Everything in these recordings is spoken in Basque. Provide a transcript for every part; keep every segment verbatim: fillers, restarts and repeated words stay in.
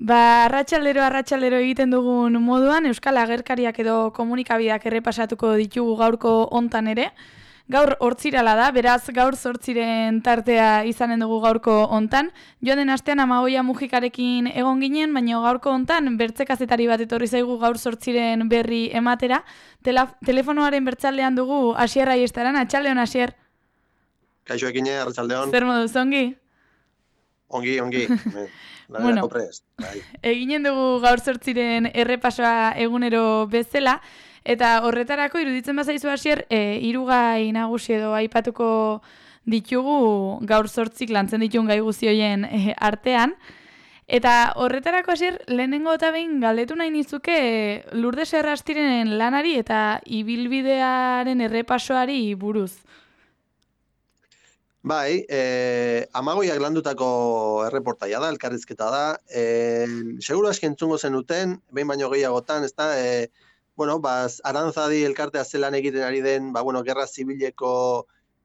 Ba, arratsaldero arratsaldero egiten dugun moduan Euskal Agerkariak edo komunikabideak errepasatuko ditugu gaurko hontan ere. Gaur hortzirala da, beraz gaur zortziren tartea izanen dugu gaurko hontan. Joan den astean Amagoia Mujikarekin egon ginen, baina gaurko hontan bertze kazetari bat etorri zaigu gaur zortziren berri ematera. Tela, telefonoaren bertzaldean dugu Asier Aiestaran, atxaldeon Asier. Kaixo ekine, arratsaldeon. Zer moduz, ongi? Ongi, ongi. Bueno, eginen dugu gaur zortziren errepasoa egunero bezala, eta horretarako iruditzen bazaizu Asier, e, hirugai nagusi edo aipatuko ditugu gaur zortzik lantzen dituen gai guztioien e, artean. Eta horretarako Asier, lehenengo eta behin galdetu nahi nizuke Lourdes Errastiren lanari eta ibilbidearen errepasoari buruz. Bai, eh, Amagoiak landutako erreportaia da, elkarrizketa da. Eh, seguru aski entzungo zenuten, behin baino gehiagotan, ez da, eh, bueno, baz, Arantzadi elkartea zelan egiten ari den, ba, bueno, gerra zibileko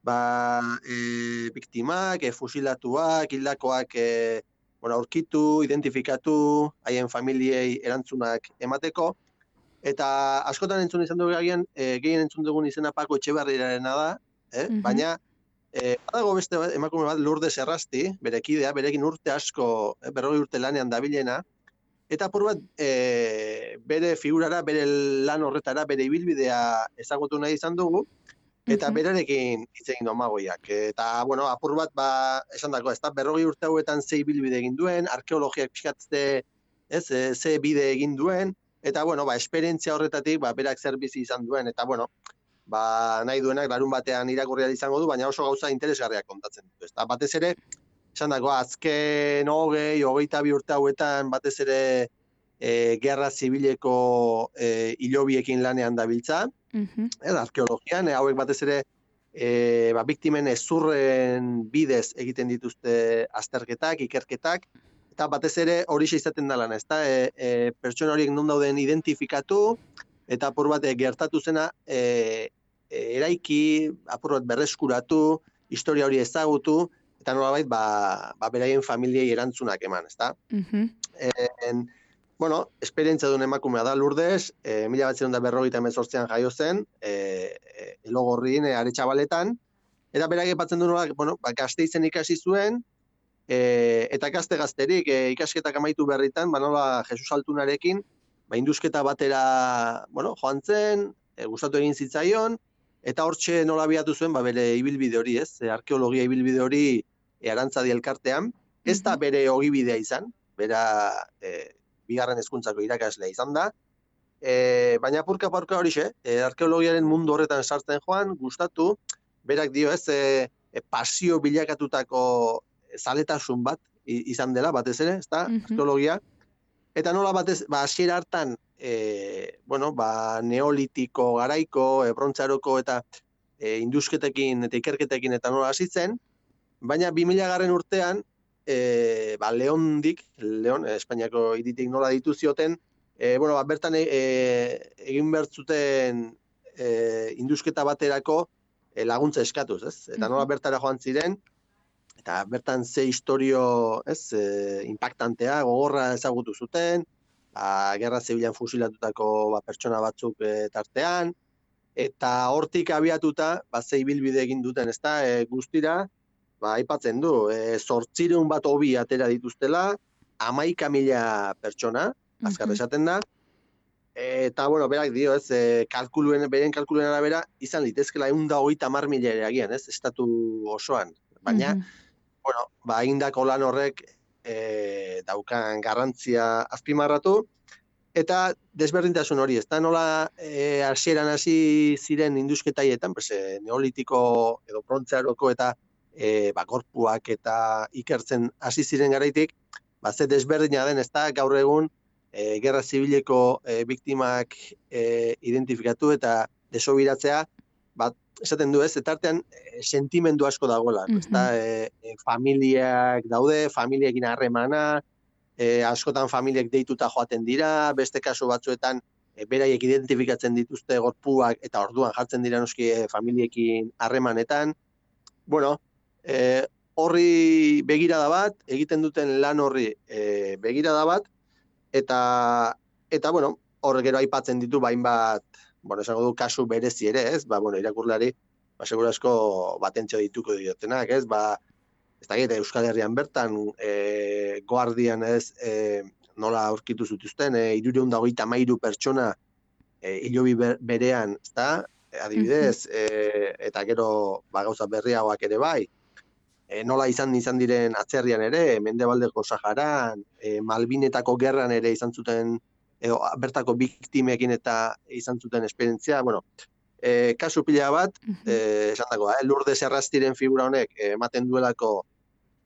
ba, eh, biktimak, eh, fusilatuak, hildakoak eh, bueno, aurkitu, identifikatu, haien familiei erantzunak emateko. Eta askotan entzun izan dugu agian, eh, gehien entzun dugun izena Pako Etxebarriarena da, eh? Mhm. Baina Eh, badago beste bat, emakume bat Lourdes Errasti, bere kidea, berekin urte asko, eh, berrogei urte lanean dabilena, eta apur bat eh, bere figurara, bere lan horretara, bere ibilbidea ezagutu nahi izan dugu, eta Mhm. berarekin hitz egin du Amagoiak. Eta, bueno, apur bat, ba, esan dako, ez da, berrogei urte hauetan ze ibilbide egin duen, arkeologiak pixkatze, ez, eh, ze bide egin duen, eta, bueno, ba, esperientzia horretatik, ba, berak zer bizi izan duen, eta, bueno, ba, nahi duenak larun batean irakurria izango du, baina oso gauza interesgarriak kontatzen ditu. Eta batez ere, esan dago, azken hogei, hogeita bi urte hauetan, batez ere e, gerra zibileko e, hilobiekin lanean dabiltza, Mhm. e, arkeologian, e, hauek batez ere e, ba, biktimen ezurren bidez egiten dituzte azterketak, ikerketak, eta batez ere horixe izaten da lan, ezta? E, e, pertsona horiek non dauden identifikatu, eta apur bat e, gertatu zena e, eraiki, apur bat berreskuratu, historia hori ezagutu, eta nolabait, ba, ba beraien familiei erantzunak eman, ezta? Mhm. En, bueno, esperientzia duen emakumea da Lourdes, e, mila batziehun eta berrogeita hemezortzian jaio zen, e, e, Elogorrin, e, Aretxabaletan, eta berak aipatzen du nola, bueno, ba, Gasteizen ikasi zuen, e, eta gazte-gazterik e, ikasketak amaitu berritan, ba, nola Jesus Altunarekin, ba, indusketa batera, bueno, joan zen, e, gustatu egin zitzaion, eta hortxe nola abiatu zuen, ba, bere ibilbide hori, ez? E, arkeologia ibilbide hori e, Arantzadi elkartean, ez da bere ogibidea izan, bera e, bigarren hezkuntzako irakaslea izan da, e, baina apurka-apurka horixe, e, arkeologiaren mundu horretan sartzen joan, gustatu, berak dio ez, e, e, pasio bilakatutako zaletasun bat izan dela, batez ere, ez da, Mhm. arkeologia, eta nola batez, ba, hasiera hartan, e, bueno, ba, neolitiko garaiko, e, brontzaroko eta e, indusketekin eta ikerketekin eta nola hasitzen, baina bi mila garren urtean, e, ba, Leondik, Leon, Espainiako hiritik nola ditu zioten, e, bueno, ba, bertan e, egin bertzuten e, indusketa baterako e, laguntza eskatuz, ez? Eta nola bertara joan ziren, eta bertan ze historio, ez, e, impactantea, gogorra ezagutu zuten, ba, gerra zibilan fusilatutako ba, pertsona batzuk e, tartean, eta hortik abiatuta, ba, ze ibilbide egin duten, ezta, e, guztira, ba, aipatzen du, e, zortzireun bat hobi atera dituztela, hamaika mila pertsona, azkar esaten da, eta, bueno, berak dio, ez, e, kalkuluen, beren kalkuluen arabera, izan litezkela ehun eta hogeita hamar mila ere agian, ez, estatu osoan, baina, bueno, ba, egindako lan horrek e, daukan garrantzia azpimarratu, eta desberdintasun hori, ez da nola e, hasieran hasi ziren indusketaietan, pues, e, neolitiko edo brontzaroko eta e, ba, gorpuak eta ikertzen hasi ziren garaitik, ba, ze desberdina den, ez da gaur egun e, gerra zibileko e, biktimak e, identifikatu eta desobiratzea, ba, esaten du ez, eta artean e, sentimendu asko dagoela, ez da, e, e, familiak daude, familiekin harremana, e, askotan familiek deituta joaten dira, beste kasu batzuetan e, beraiek identifikatzen dituzte gorpuak eta orduan jartzen dira noski e, familiekin harremanetan. Bueno, e, horri begirada bat, egiten duten lan horri e, begirada bat, eta, eta bueno, hor gero aipatzen ditu bain bat, bueno, esango du kasu berezi ere, ez? Ba, bueno, irakurlari, ba, segurasko batentzio dituko diotenak, ez? Ba, ez da gire, Euskal Herrian bertan, e, Guardian, ez, e, nola aurkitu zutuzten, e, irureun dagoita mairu pertsona e, hilobi berean, ez da? Adibidez, e, eta gero, ba, gauza berriagoak ere bai, e, nola izan izan diren atzerrian ere, Mendebaldeko Saharan, e, Malbinetako gerran ere izan zuten, edo bertako biktimekin eta izan zuten esperientzia, bueno, e, kasu pila bat, e, esan dago, eh, Lourdes Errastiren figura honek ematen duelako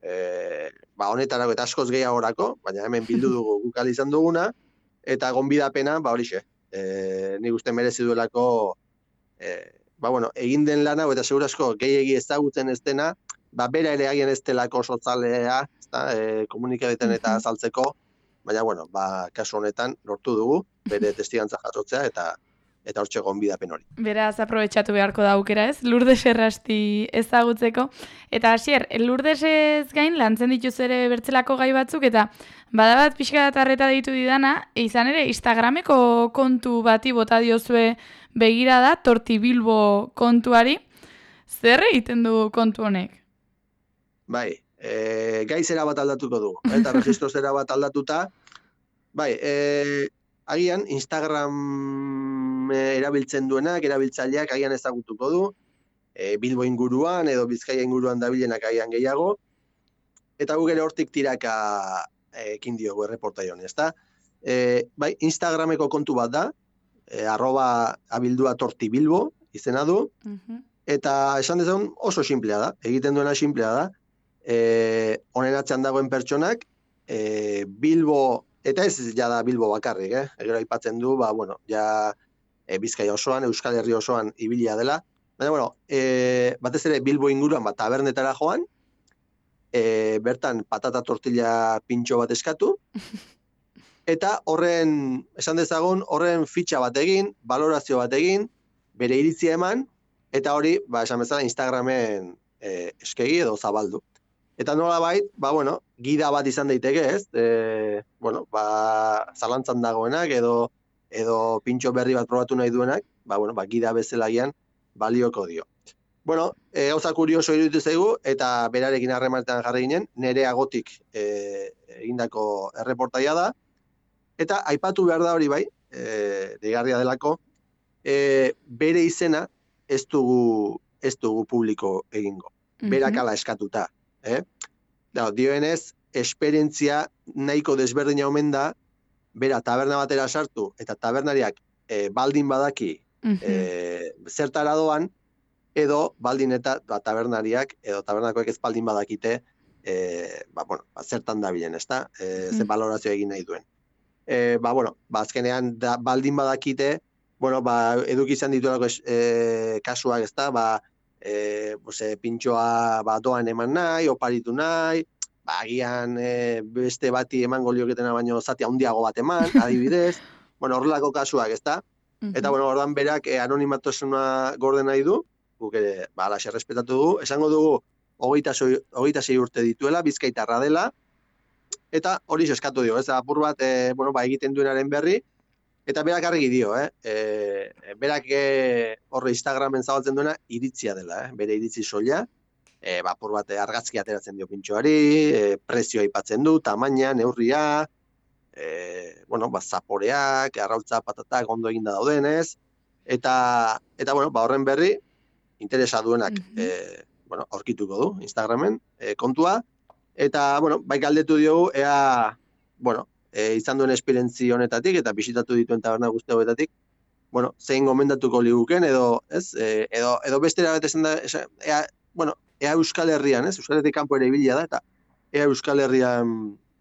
e, ba, honetarako eta askoz gehiagorako, baina hemen bildu dugu gukal izan duguna, eta gonbidapena, ba horixe, e, nik uste merezi duelako, e, ba bueno, egin den lana, eta segurazko gehiegi ezagutzen ez dena, ba bera ere agian ez delako sotzalea, ezta, e, komunikabideetan eta azaltzeko, baina bueno, ba kasu honetan lortu dugu bere testigantza jasotzea eta eta hortxe gonbidapen hori. Beraz, aprobetxatu beharko da aukera, ez? Lourdes Errasti ezagutzeko. Eta hasier, Lourdesez gain lantzen dituz ere bertzelako gai batzuk, eta badabat pixka bat arreta ditu didana, izan ere Instagrameko kontu bati bota diozue begirada, Tortibilbo kontuari. Zer egiten du kontu honek? Bai, e, gai zera bat aldatuko du, eta registro zera bat aldatuta, bai, e, agian Instagram erabiltzen duenak, erabiltzaileak agian ezagutuko du, e, Bilbo inguruan edo Bizkaia inguruan dabilenak agian gehiago, eta gu gero hortik tiraka ekin diogu erreportai honi, ezta? E, bai, Instagrameko kontu bat da, e, arroba abildua tortibilbo izena du, eta esan dezagun oso simplea da, egiten duena simplea da, e, honen atzean dagoen pertsonak, e, Bilbo, eta ez ja da Bilbo bakarrik, eh? Egero aipatzen du, ba, bueno, ja e, Bizkaia osoan, Euskal Herri osoan ibilia dela. Baina, bueno, e, batez ere Bilbo inguruan bat tabernetara joan, e, bertan patata tortilla pintxo bat eskatu, eta horren, esan dezagun, horren fitxa bat egin, valorazio bat egin, bere iritzia eman, eta hori, ba, esan bezala, Instagramen e, eskegi edo zabaldu. Eta nola bait, ba, bueno, gida bat izan daiteke, ez? E, bueno, ba, zalantzan dagoenak edo edo pintxo berri bat probatu nahi duenak, ba, bueno, ba, gida bezalagian balioko dio. Bueno, e, gauza kurioso iruditu zaigu, eta berarekin harremanetan jarri ginen, nere agotik e, egindako erreportaia da, eta aipatu behar da hori bai, e, deigarria delako, e, bere izena ez dugu, ez dugu publiko egingo. Berak ala eskatuta. Eh? Da, dioenez, esperientzia nahiko desberdina omen da, bera taberna batera sartu, eta tabernariak e, baldin badaki e, zertara doan, edo baldin eta ba, tabernariak, edo tabernakoek ez baldin badakite, e, ba, bueno, ba, zertan dabilen, ezta? E, ze balorazio egin nahi duen. E, ba, bueno, ba, azkenean da, baldin badakite, bueno, ba, eduki izan dituelako e, kasuak, ezta? Ba, E, pues, e, pintxoa ba, doan eman nahi, oparitu nahi, ba, agian e, beste bati emango lioketena baino zati handiago bat eman, adibidez, bueno, horrelako kasuak, ezta? Eta, bueno, ordan berak e, anonimatasuna gorde nahi du, guk ere, ba, alaxe respetatu dugu, esango dugu, hogeita sei urte dituela, bizkaitarra dela, eta hori eskatu dio, ez, apur bat, e, bueno, ba, egiten duenaren berri, eta berak argi dio, eh? E, berak e, horre Instagramen zabaltzen duena iritzia dela, eh? Bere iritzi soila, e, bapur bat argazki ateratzen dio pintxoari, e, prezioa aipatzen du, tamaina, neurria, e, bueno, ba, zaporeak, arrautza patatak ondo eginda daudenez, eta, eta bueno, ba, horren berri, interesa duenak, mm-hmm. e, bueno, aurkituko du Instagramen e, kontua, eta, bueno, bai galdetu diogu, ea, bueno, E, izan duen esperientzi honetatik eta bisitatu dituen taberna guzti hauetatik, bueno, zein gomendatuko liguken edo, ez, e, edo, edo bestera bat esan da, ea, bueno, ea Euskal Herrian, ez, Euskal Herritik kanpo ere ibilia da, eta ea Euskal Herrian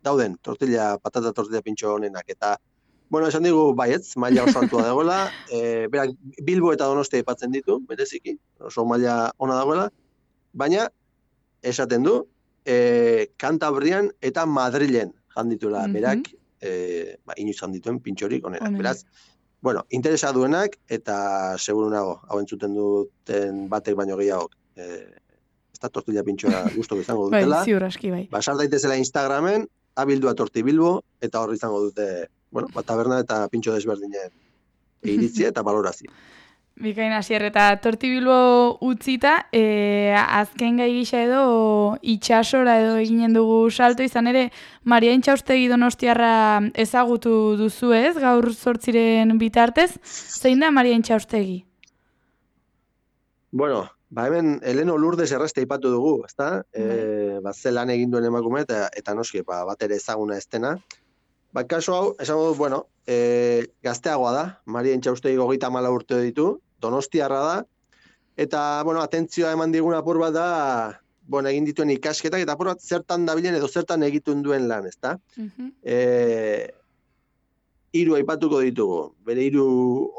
dauden tortilla, patata tortilla pintxo honenak, eta, bueno, esan digu, baietz, maila oso altua dagoela, e, berak Bilbo eta Donostia aipatzen ditu, bereziki, oso maila ona dagoela, baina, esaten du, e, Kantabrian eta Madrilen jandituela, mm-hmm. berak, E, ba, inoiz handituen pintxorik honenak. Beraz, bueno, interesa duenak, eta seguru nago, hau entzuten duten batek baino gehiago, e, ez da tortilla pintxoa guztok izango dutela. Bai, ziur aski bai. Ba, sar daitezela Instagramen, abildua torti bilbo, eta horri izango dute, bueno, ba, taberna eta pintxo desberdinen iritzia eta balorazio. Bikain Asier, eta torti bilbo utzita, e, azken gai gisa edo itxasora edo eginen dugu salto, izan ere, Maria Intxaustegi Donostiarra ezagutu duzu ez, gaur zortziren bitartez, zein da Maria Intxaustegi? Bueno, ba hemen Eleno Lourdes errazte ipatu dugu, ezta? E, ba, zelan egin duen emakume eta, eta noski, ba, bat ere ezaguna ez dena. Ba, kasu hau, esango dut, bueno, e, gazteagoa da, Maria Intxaustegi hogeita hamalau urte ditu, Donostiarra da, eta, bueno, atentzioa eman digun apur bat da, bueno, egin dituen ikasketak, eta apur bat zertan dabilen edo zertan egitun duen lan, ezta? Uh-huh. E, hiru aipatuko ditugu, bere hiru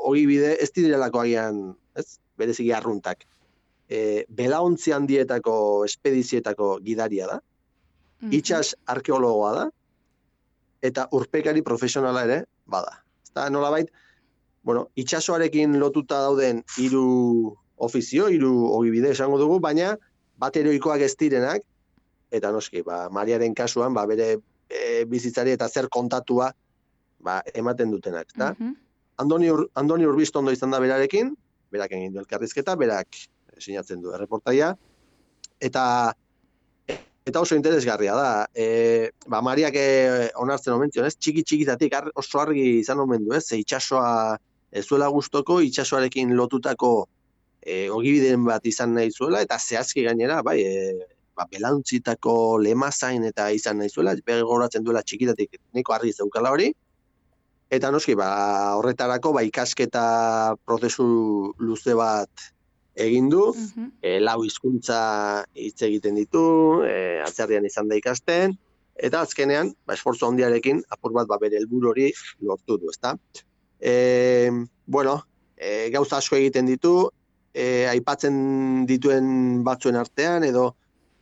ogibide ez direlako agian, ez? Bereziki arruntak. E, belaontzi handietako espedizietako gidaria da, uh-huh. Itxas arkeologoa da, eta urpekari profesionala ere bada. Eta nolabait, bueno, itxasoarekin lotuta dauden hiru ofizio, hiru ogibide esango dugu, baina bat heroikoak ez direnak, eta noski, ba, Mariaren kasuan, ba, bere e, bizitzari eta zer kontatua ba, ematen dutenak. Uh-huh. Andoni, Ur, Andoni Urbistondo izan da berarekin, berak egin du elkarrizketa, berak sinatzen du erreportaia, eta eta oso interesgarria da. E, ba, Mariak onartzen omentzen, ez? Txiki-txikitatik oso argi izan omen du, ez? Ze itxasoa ez zuela gustoko, itxasoarekin lotutako e, ogibideen bat izan nahi zuela, eta zehazki gainera, bai, e, ba, belauntzitako lemazain eta izan nahi zuela, begoratzen duela txikitatik nahiko argi zeukala hori, eta noski, ba, horretarako ba, ikasketa prozesu luze bat egin du, uh-huh. e, lau hizkuntza hitz egiten ditu, e, atzerrian izan da ikasten, eta azkenean, ba, esfortzu handiarekin, apur bat ba, bere helburu hori lortu du, ezta? E, bueno, e, gauza asko egiten ditu, e, aipatzen dituen batzuen artean, edo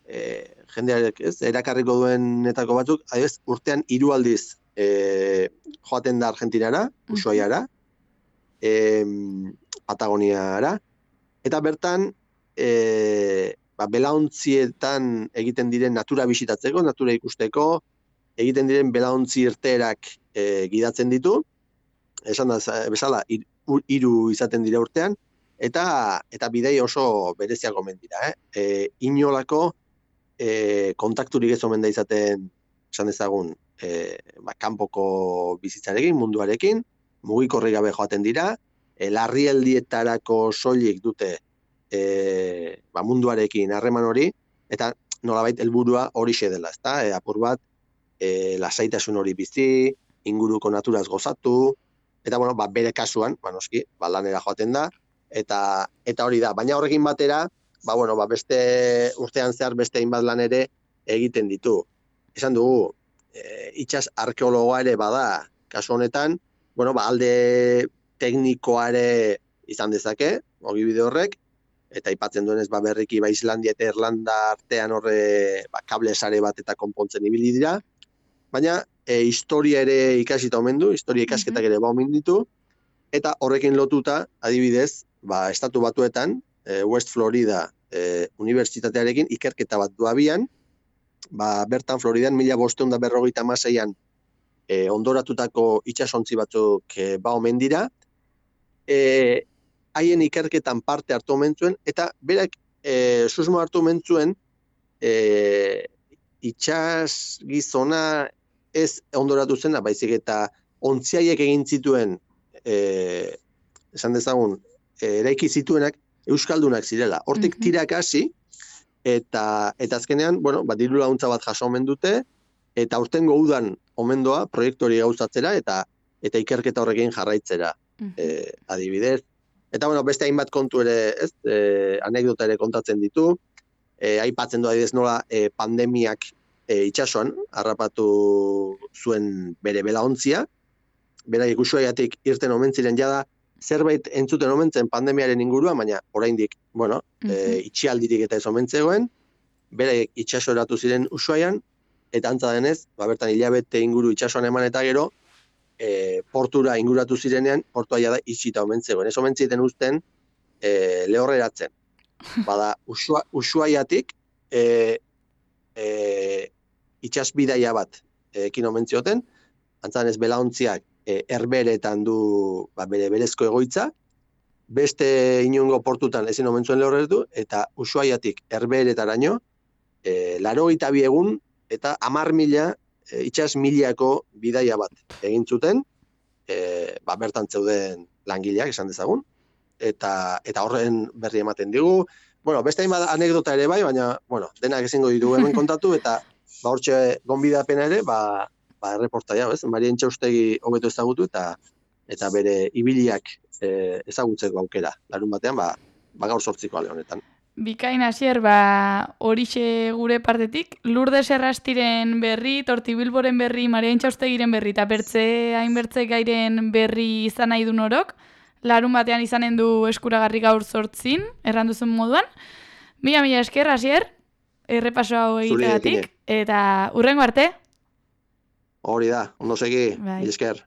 e, jendearek, ez, erakarriko duenetako batzuk, adibidez, urtean hiru aldiz e, joaten da Argentinara, Ushuaiara, e, Patagoniara, eta bertan, e, ba, belaontzietan egiten diren natura bisitatzeko, natura ikusteko, egiten diren belaontzi irteerak e, gidatzen ditu, esan da, bezala, hiru izaten dira urtean, eta eta bidei oso bereziak omen dira. Eh? E, inolako e, kontakturik ez omen da izaten, esan dezagun, e, ba, kanpoko bizitzarekin, munduarekin, mugikorri gabe joaten dira, larrialdietarako soilik dute e, ba, munduarekin harreman hori, eta nolabait helburua horixe dela, ezta? E, apur bat, e, lasaitasun hori bizi, inguruko naturaz gozatu, eta bueno, ba, bere kasuan, ba, noski, ba, lanera joaten da, eta eta hori da. Baina horrekin batera, ba, bueno, ba, beste urtean zehar beste hainbat lan ere egiten ditu. Esan dugu, e, itxas arkeologoa ere bada, kasu honetan, bueno, ba, alde teknikoare izan dezake, ogibide horrek, eta aipatzen duenez ba, berriki ba, Islandia eta Irlanda artean horre ba, kable sare bat eta konpontzen ibili dira, baina e, historia ere ikasita omen du, historia ikasketak ere ba omen ditu, eta horrekin lotuta, adibidez, ba, estatu batuetan, e, West Florida e, unibertsitatearekin ikerketa bat du abian, ba, bertan Floridan mila bostehun eta berrogeita hamaseian e, ondoratutako itsasontzi batzuk e, ba omen dira, e, haien ikerketan parte hartu omen zuen, eta berak e, susmo hartu omen zuen e, itxas gizona ez ondoratu zena, baizik eta ontziaiek egin zituen, e, esan dezagun, e, eraiki zituenak euskaldunak zirela. Hortik mm-hmm. tirak hasi, eta, eta azkenean, bueno, bat diru laguntza bat jaso omen dute, eta aurtengo udan omendoa proiektu hori gauzatzera, eta eta ikerketa horrekin jarraitzera, mm-hmm. e, adibidez. Eta, bueno, beste hainbat kontu ere, ez, e, anekdota ere kontatzen ditu, e, aipatzen du adibidez nola e, pandemiak e, itsasoan harrapatu zuen bere belaontzia, beraiek Ushuaiatik irten omen ziren jada, zerbait entzuten omen zen pandemiaren inguruan, baina oraindik, bueno, mm-hmm. e, itxialdirik eta ez omen zegoen, beraiek itsasoratu ziren Ushuaian, eta antza denez, ba, bertan hilabete inguru itsasoan eman eta gero, E, portura inguratu zirenean, portua jada itxita omen zegoen. Ez omen ziten uzten e, lehorreratzen. Bada, Usua, Ushuaiatik e, e, itxasbidaia bat ekin omen zioten, antzan ez belaontziak e, Herberetan du ba, bere berezko egoitza, beste inongo portutan ezin omen zuen lehorretu, eta Ushuaiatik Herberetaraino, e, laurogeita bi egun eta hamar mila e, itsas milako bidaia bat egin zuten, e, ba, bertan zeuden langileak esan dezagun, eta eta horren berri ematen digu. Bueno, beste hainbat anekdota ere bai, baina bueno, denak ezingo ditu hemen kontatu, eta ba hortxe gonbidapena ere, ba ba erreportaia, ez? Marien Txaustegi hobeto ezagutu eta eta bere ibiliak e, ezagutzeko aukera. Larun batean, ba, ba gaur zortziko ale honetan. Bikain hasier, ba, horixe gure partetik, Lourdes Errastiren berri, Tortibilboren berri, Marien Txaustegiren berri, eta bertze hainbertze gairen berri izan nahi du norok, larun batean izanen du eskuragarri gaur zortzin, erranduzun moduan. Mila, mila esker, hasier, errepaso hau egiteagatik, eta hurrengo arte. Hori da, ondo segi, bai. Mila esker.